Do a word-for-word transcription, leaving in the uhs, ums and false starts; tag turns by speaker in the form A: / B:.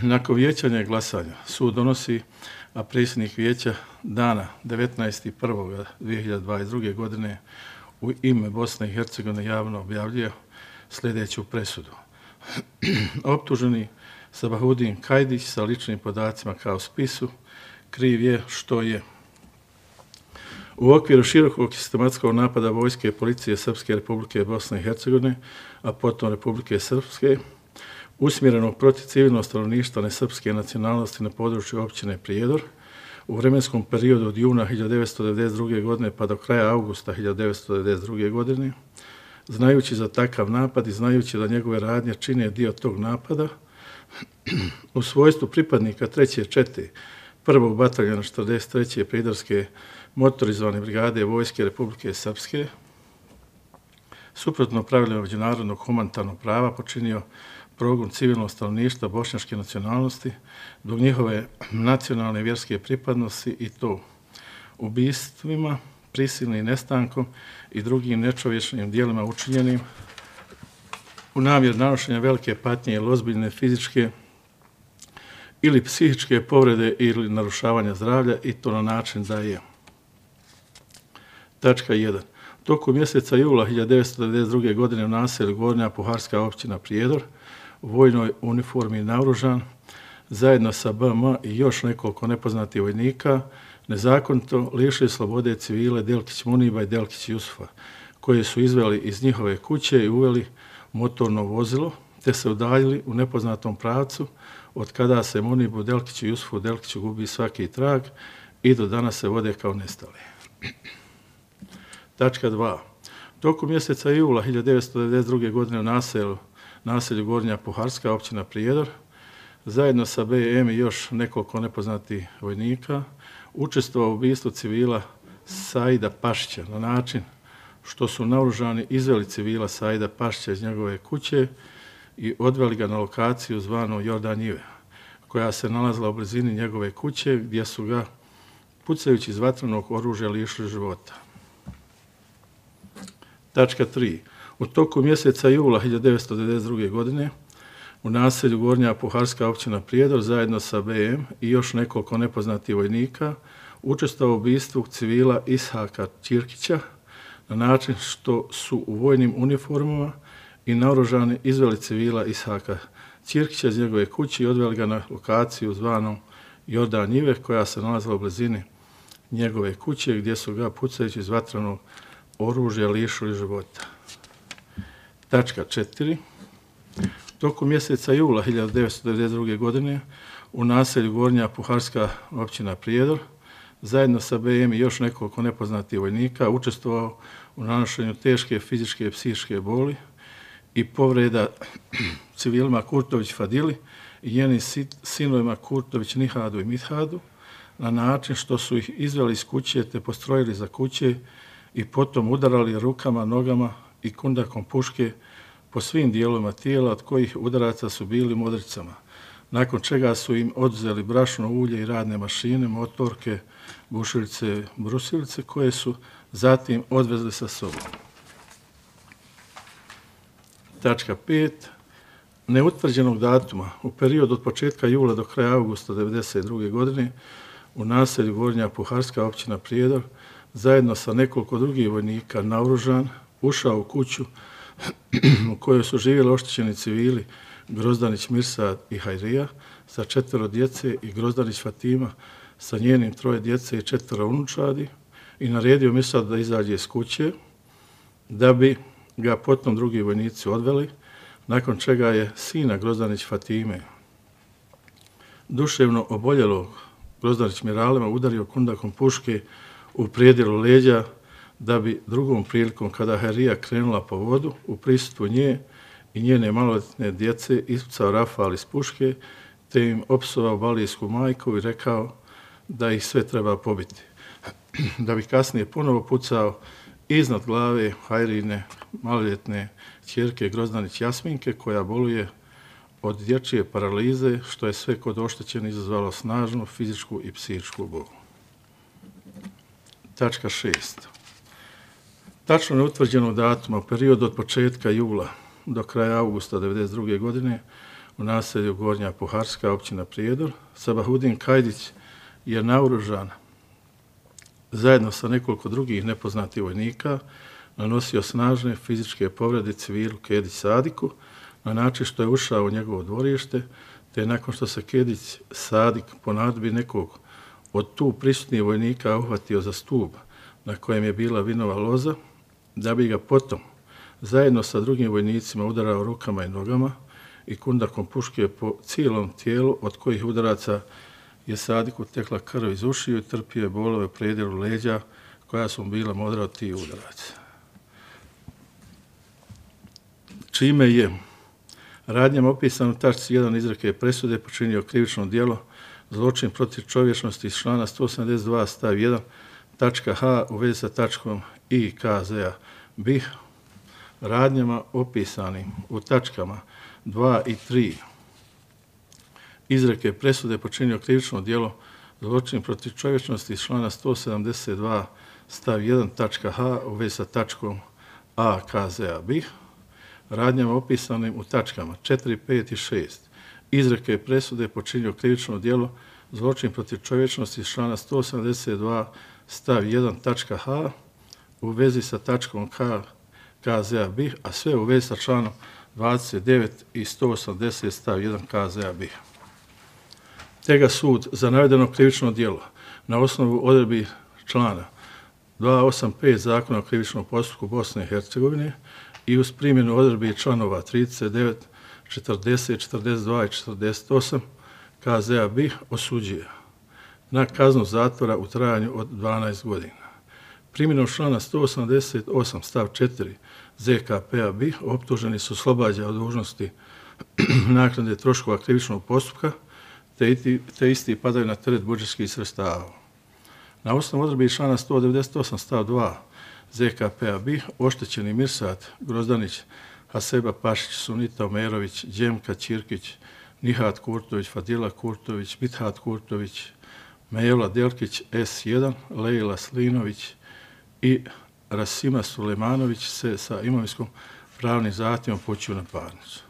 A: Nakon vijećanja i glasanja sud donosi, a predsjednik vijeća dana devetnaesti prvog dvije hiljade dvadeset druge. godine u ime Bosne i Hercegovine javno objavljuje sljedeću presudu. Optuženi Sabahudin Kajdić sa ličnim podacima kao spisu kriv je što je u okviru širokog sistematskog napada vojske i policije Srpske Republike Bosne i Hercegovine, a potom Republike Srpske, usmjerenog protiv civilnog stanovništva nesrpske nacionalnosti na području općine Prijedor, u vremenskom periodu od juna hiljadu devetsto devedeset druge. godine pa do kraja avgusta hiljadu devetsto devedeset druge. godine, znajući za takav napad i znajući da njegove radnje čine dio tog napada, u svojstvu pripadnika treće čete prvog bataljona četrdeset treće Prijedorske motorizovane brigade Vojske Republike Srpske, suprotno pravilima međunarodnog humanitarnog prava počinio progon civilnog stanovništva bošnjačke nacionalnosti zbog njihove nacionalne vjerske pripadnosti i to ubistvima, prisilnim nestankom i drugim nečovječnim dijelima učinjenim u namjeru nanošenja velike patnje ili ozbiljne fizičke ili psihičke povrede ili narušavanja zdravlja i to na način da je. Tačka jedan. Toku mjeseca jula hiljadu devetsto devedeset druge. godine u naselju Gornja Puharska općina Prijedor u vojnoj uniformi naoružan zajedno sa B M i još nekoliko nepoznatih vojnika nezakonito lišili slobode civile Delkić Muniba i Delkić Jusufa, koje su izveli iz njihove kuće i uveli motorno vozilo, te se udaljili u nepoznatom pravcu, od kada se Munibu, Delkiću, Jusufu, Delkiću gubi svaki trag i do danas se vode kao nestali. Tačka dva. Toku mjeseca jula hiljadu devetsto devedeset druge. godine u naselju, naselju Gornja Puharska općina Prijedor, zajedno sa B M i još nekoliko nepoznatih vojnika, učestvovao u ubistvu civila Saida Pašića na način što su naoružani izveli civila Saida Pašića iz njegove kuće i odveli ga na lokaciju zvanu Jordan Njive, koja se nalazila u blizini njegove kuće gdje su ga pucajući iz vatrenog oružja lišili života. Tačka tri. U toku mjeseca jula hiljadu devetsto devedeset druge. godine u naselju Gornja Puharska općina Prijedor zajedno sa B M i još nekoliko nepoznatih vojnika učestvovao u ubistvu civila Ishaka Ćirkića na način što su u vojnim uniformama i naoružani izveli civila Ishaka Ćirkića iz njegove kuće i odveli ga na lokaciju zvanu Jordan Njive, koja se nalazila u blizini njegove kuće gdje su ga pucajući iz vatrenog oružja lišili života. Tačka četiri. Toku mjeseca jula hiljadu devetsto devedeset druge. godine u naselju Gornja Puharska općina Prijedor zajedno sa B M i još nekoliko nepoznatih vojnika učestvovao u nanošenju teške fizičke i psihičke boli i povreda civilima Kurtović Fadili i njenim sinovima Kurtović Nihadu i Mithadu na način što su ih izveli iz kuće te postrojili za kuće i potom udarali rukama, nogama i kundakom puške po svim dijelovima tijela, od kojih udaraca su bili modricama, nakon čega su im oduzeli brašno, ulje i radne mašine, motorke, bušilice, brusilice, koje su zatim odvezli sa sobom. Tačka pet. Neutvrđenog datuma u periodu od početka jula do kraja avgusta devedeset druge. godine u naselju Gornja Puharska općina Prijedor zajedno sa nekoliko drugih vojnika naoružan ušao u kuću u kojoj su živjeli oštećeni civili Grozdanić Mirsad i Hajrija sa četvero djece i Grozdanić Fatima sa njenim troje djece i četvero unučadi i naredio Mirsad da izađe iz kuće, da bi ga potom drugi vojnici odveli, nakon čega je sina Grozdanić Fatime, duševno oboljelog Grozdanić Miralema, udario kundakom puške u prijedjelu leđa, da bi drugom prilikom, kada Hajrija krenula po vodu, u prisustvu nje i njene maloljetne djece ispucao rafal iz puške, te im opsovao balijsku majku i rekao da ih sve treba pobiti. Da bi kasnije ponovo pucao iznad glave Hajrine maloljetne ćerke Grozdanić Jasminke, koja boluje od dječje paralize, što je sve kod oštećeni izazvalo snažnu fizičku i psihičku bol. Tačka šest. Tačno neutvrđenog datuma u periodu od početka jula do kraja avgusta devedeset druge. godine u naselju Gornja Puharska, općina Prijedor. Sabahudin Kajdić je naoružan zajedno sa nekoliko drugih nepoznatih vojnika nanosio snažne fizičke povrede civilu Kedić Sadiku na način što je ušao u njegovo dvorište, te nakon što se Kedić Sadik po naredbi nekog od tu prisutnih vojnika uhvatio za stup na kojem je bila vinova loza, da bi ga potom zajedno sa drugim vojnicima udarao rukama i nogama i kundakom puške po cijelom tijelu, od kojih udaraca je Sadiku tekla krv iz ušiju i trpio je bolove u predjelu leđa koja su mu bila modra od tih udaraca. Čime je radnjama opisano u tačci jedan izreke presude počinio krivično djelo zločin protiv čovječnosti iz člana sto sedamdeset dva stav jedan tačka H u vezi sa tačkom I K Z-a B I H, radnjama opisanim u tačkama dva i tri izreke presude počinio krivično djelo zločin protiv čovječnosti iz člana sto sedamdeset dva stav jedan tačka H u vezi sa tačkom A K Z-a B I H, radnjama opisanim u tačkama četiri, pet i šest izreke presude počinio krivično djelo zločin protiv čovječnosti iz člana sto sedamdeset dva stav jedan tačka H u vezi sa tačkom K K Z-a B I H, a sve u vezi sa članom dvadeset devet i sto osamdeset stav jedan K Z-a B I H. Te ga sud za navedeno krivično djelo na osnovu odredbi člana dvjesto osamdeset pet Zakona o krivičnom postupku Bosne i Hercegovine i uz primjenu odredbi članova trideset devet, četrdeset, četrdeset dva i četrdeset osam K Z-a B I H osuđuje na kaznu zatvora u trajanju od dvanaest godina. Primjenom člana sto osamdeset osam stav četiri Z K P-a B I H optuženi su oslobađa od dužnosti naknade troškova krivičnog postupka, te, iti, te isti padaju na teret budžetskih sredstava. Na osnovu odredbi člana sto devedeset osam stav dva Z K P-a B I H oštećeni Mirsad Grozdanić, Haseba Pašić, Sunita Omerović, Đemka Ćirkić, Nihat Kurtović, Fadila Kurtović, Mithat Kurtović, Mejla Delkić S jedan, Lejla Slinović i Rasima Sulejmanović se sa imovinskom pravnim zahtjevom upućuju na parnicu.